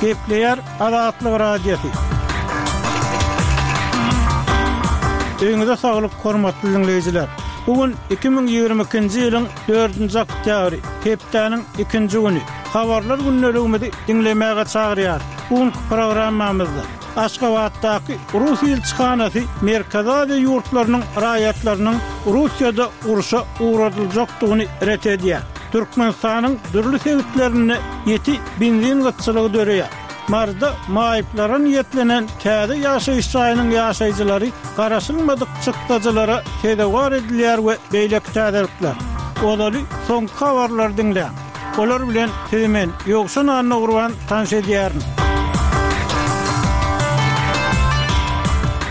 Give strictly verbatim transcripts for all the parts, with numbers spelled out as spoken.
Gepleýär Azatlyk Radiosy. Öýüňize saglyk, hormatly diňleýjiler! Bu gün iki müň ýigrimi ikinji ýylyň dördünji oktýabry, hepdäniň ikinji güni. Habarlar gündeligimizi diňlemäge çagyrýarys. Bu günki programmamyzda Aşgabatdaky rus ilçihanasy Merkezi Aziýa ýurtlarynyň raýatlarynyň Russiýada urşa ugradyljakdygyny ret edýär. Türkmenistanyň dürli sebitlerinde ýiti benzin gytçylygy döreýär. Maryda maýyplara niýetlenen täze ýaşaýyş jaýynyň ýaşaýjylary garaşylmadyk çykdajylara sezewar edilýär we beýleki täzelikler. Ozaly soňky habarlary diňläň. Olar bilen sizi men, Ýowşan Annagurban tanyş edýärin.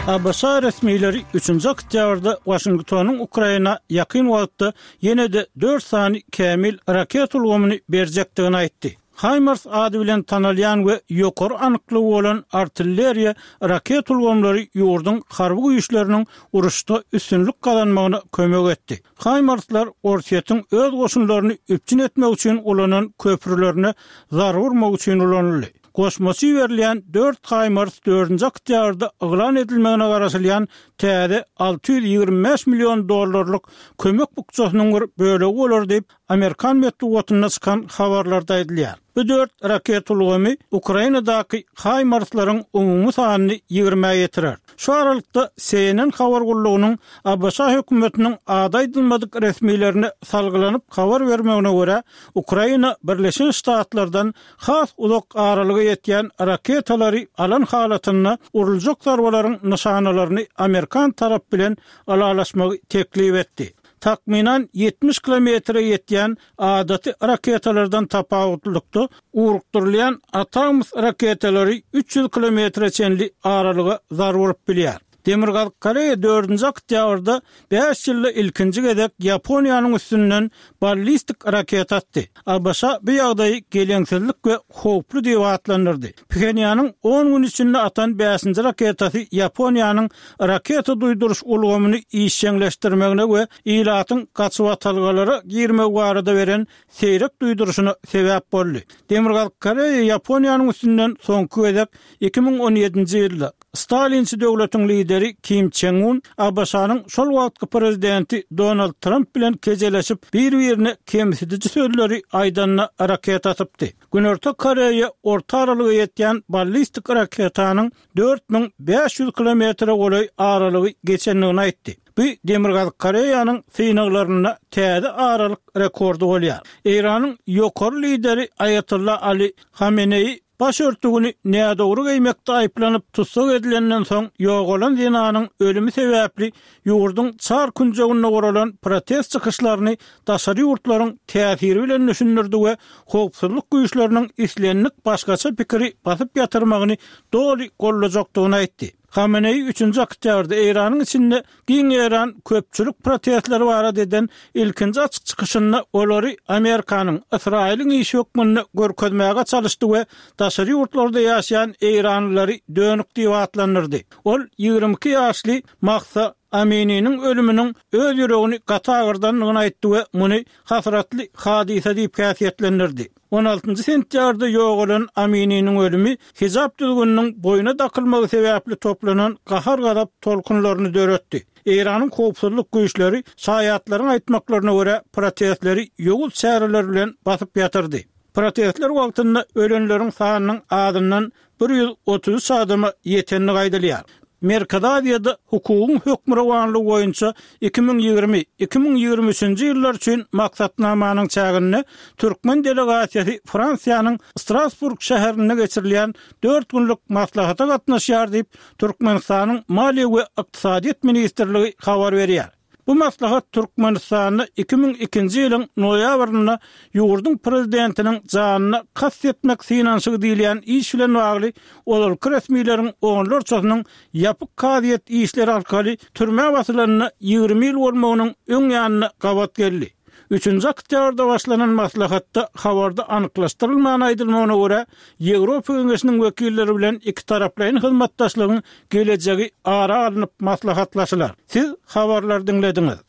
ABŞ resmileri üçünji oktýabrda Waşingtonyň Ukraina ýakyn wagtda ýene-de dört sany kämil raketa ulgamyny berjekdigini aýtdy. HIMARS ady bilen tanalýan we ýokary anyklygy bolan artilleriýa raketa ulgamlary ýurduň harby güýçleriniň uruşda üstünlik gazanmagyna kömek etdi. HIMARS-lar Orsýetiň öz goşunlaryny üpjün etmek üçin ulanan köprülerine zarba urmak üçin ulanyldy. Goşmaça iberilýän dört HIMARS dördünji oktýabrda yglan edilmegine garaşylýan täze alty ýüz ýigrimi bäş million dollarlyk kömek bukjasynyň bir bölegi bolar diýip, amerikan metbugatynda çykan habarlarda aýdylýar. Bu dört raketa ulgamy Ukrainadaky HIMARS-laryň umumy sanyny ýigrimä ýetirer. Şu aralykda, C N N habar gullugynyň A B Ş hökümetiniň ady aýdylmadyk resmilerine salgylanyp habar bermegine görä, Ukraina Birleşen Ştatlardan has uzak aralyga ýetýän raketalary alan halatynda uruljak zarbalaryň nyşanalaryny amerikan tarap bilen ylalaşmagy teklip etdi. Takmynan ýetmiş kilometre ýetýän adaty raketalardan tapawutlylykda ugrukdyrylýan ATACMS raketalary üç ýüz kilometre çenli aralyga zarba urup bilýär. Demirgazyk Koreýa dördünji oktýabrda bäş ýylda ilkinji gezek Ýaponiýanyň üstünden ballistik raketa atdy. A B Ş bu ýagdaýy geleňsizlik we howply diýip atlandyrdy. Phenýanyň on gün içinde atan bäşinji raketasy Ýaponiýanyň raketa duýduryş ulgamyny işjeňleşdirmegine we ilatyň gaçybatalgalara girmegi barada beren seýrek duýduryşyna sebäp boldy. Demirgazyk Koreýa Ýaponiýanyň üstünden soňky gezek iki müň on ýedinji ýylda Stalinçi döwletiň lideri Kim Çen Un A B Ş-nyň şol wagtky prezidenti Donald Tramp bilen kejeleşip bir-birine kemsidiji sözleri aýdanyna raketa atypdy. Günorta Koreýa orta aralyga ýetýän ballistik raketanyň dört müň bäş ýüz kilometre golaý aralygy geçendigini aýtdy. Bu Demirgazyk Koreýanyň synaglarynda täze aralyk rekordy bolýar. Eýranyň ýokary lideri Aýatolla Ali Hameneýi baş örtügini nädogry geýmekde aýyplanyp tussag edilenden soň ýogalan zenanyň ölümi sebäpli ýurduň çar künjeginde guralan protest çykyşlaryny daşary ýurtlaryň täsiri bilen düşündirdi we howpsuzlyk güýçleriniň islendik başgaça pikiri basyp ýatyrmagyny doly gollajakdygyny aýtdy. Hameneýi üçünji oktýabrda Eýranyň içinde giň ýaýran köpçülik protestleri barada eden ilkinji açyk çykyşynda olary Amerikanyň, Ysraýylyň işi hökmünde görkezmäge çalyşdy we daşary ýurtlarda ýaşaýan eýranlylary dönük diýip atlandyrdy. Ol ýigrimi iki ýaşly Mahsa Amininiň ölüminiň öz ýüregini gaty agyrdandygyny aýtdy we muny hasratly hadysa diýip häsiýetlendirdi. On altynjy sentýabrda ýogalan Amininiň ölümi hijap düzgüniniň boýuna dakylmagy sebäpli toplanan gahar-gazap tolkunlaryny döretdi. Eýranyň howpsuzlyk güýçleri şaýatlaryň aýtmaklaryna görä protestleri ýowuz çäreler bilen basyp ýatyrdy. Protestler wagtynda ölenleriň sanynyň azyndan bir ýüz otuz üç adama ýetendigi aýdylýar. Merkezi Aziýada hukugyň hökmürowanlygy boýunça iki müň ýigrimi, iki müň ýigrimi üçünji ýyllar üçin maksatnamanyň çäginde türkmen delegasiýasy Fransiýanyň Strasburg şäherinde geçirilýän dört günlük maslahata gatnaşýar diýip, Türkmenistanyň Maliýe we ykdysadyýet ministrligi habar berýär. Bu maslahat Türkmenistanda iki müň ikinji ýylyň noýabrynda ýurduň prezidentiniň janyna kast etmek synanyşygy diýilýän iş bilen bagly ozalky resmileriň onlarçasynyň ýapyk kazyýet işleri arkaly türmä basylanyna ýigrimi ýyl bolmagynyň öň ýanyna gabat geldi. Üçünji oktýabrda başlanan maslahatda habarda anyklaşdyrylman aýdylmagyna görä, Ýewropa Geňeşiniň wekilleri bilen ikitaraplaýyn hyzmatdaşlygyň gelejegi ara alnyp maslahatlaşylar. Siz habarlary diňlediňiz.